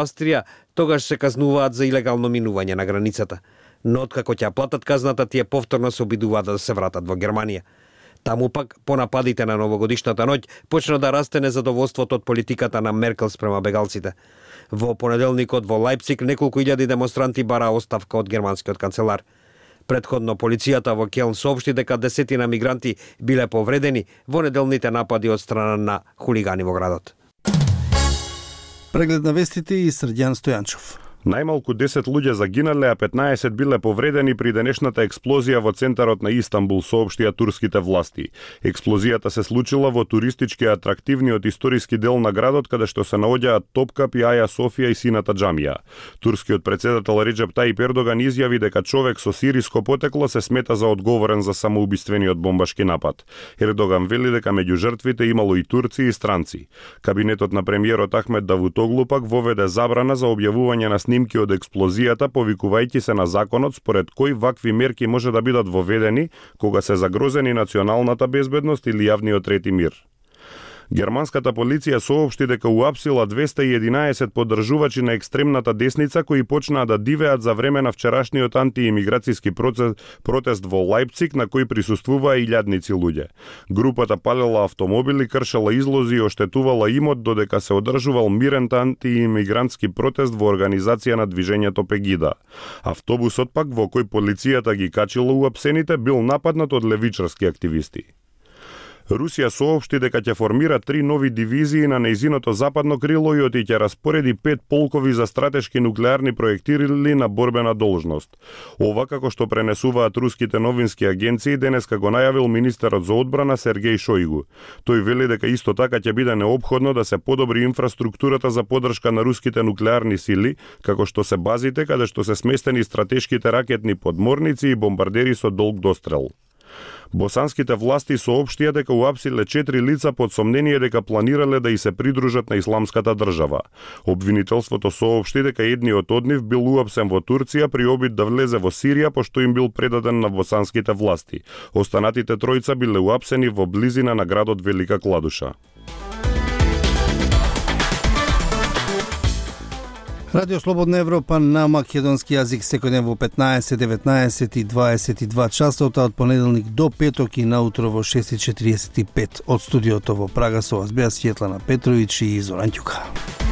Австрија, тогаш се казнуваат за илегално минување на границата. Но откако ќе платат казната, тие повторно се обидуваат да се вратат во Германија. Таму пак, по нападите на новогодишната ноќ, почна да расте незадоволството од политиката на Меркел спрема бегалците. Во понеделникот во Лајпциг неколку илјади демонстранти бара оставка од германскиот канцелар. Предходно полицијата во Келн соопшти дека десетина мигранти биле повредени во неделните напади од страна на хулигани во градот. Преглед на вестите и Срđan Стојанчов. Најмалку 10 луѓе загинале, а 15 биле повредени при денешната експлозија во центарот на Истанбул, соопштија турските власти. Експлозијата се случила во туристички атрактивниот историски дел на градот, каде што се наоѓаат Топкап и Аја Софија и Сината џамија. Турскиот председател Реджеп Тајип Ердоган изјави дека човек со сириско потекло се смета за одговорен за самоубиствениот бомбашки напад. Ердоган вели дека меѓу жртвите имало и турци и странци. Кабинетот на премиерот Ахмед Давутоглу пак воведе забрана за објавување на снимки од експлозијата, повикувајќи се на законот според кој вакви мерки може да бидат воведени кога се загрозени националната безбедност или јавниот ред и мир. Германската полиција соопшти дека уапсила 211 поддржувачи на екстремната десница кои почнаа да дивеат за време на вчерашниот антиимиграцијски протест во Лајпциг на кој присуствуваа илјадници луѓе. Групата палела автомобили, кршела излози и оштетувала имот додека се одржувал мирен антиимигрантски протест во организација на движењето Пегида. Автобусот пак во кој полицијата ги качила уапсените бил нападнат од левичарски активисти. Русија соопшти дека ќе формира 3 нови дивизии на нејзиното западно крило и ќе распореди 5 полкови за стратешки нуклеарни проектили на борбена должност. Ова како што пренесуваат руските новински агенции денеска го најавил министерот за одбрана Сергеј Шојгу. Тој вели дека исто така ќе биде неопходно да се подобри инфраструктурата за поддршка на руските нуклеарни сили, како што се базите каде што се сместени стратешките ракетни подморници и бомбардери со долг дострел. Босанските власти соопштија дека уапсиле 4 лица под сомнение дека планирале да и се придружат на исламската држава. Обвинителството соопшти дека едниот од нив бил уапсен во Турција при обид да влезе во Сирија пошто им бил предаден на босанските власти. Останатите тројца биле уапсени во близина на градот Велика Кладуша. Радио Слободна Европа на македонски јазик секој ден во 15, 19 и 22 часот, од понеделник до петок и наутро во 6:45 од студиото во Прага со вас беа Светлана Петровиќ и Зоран Ѓука.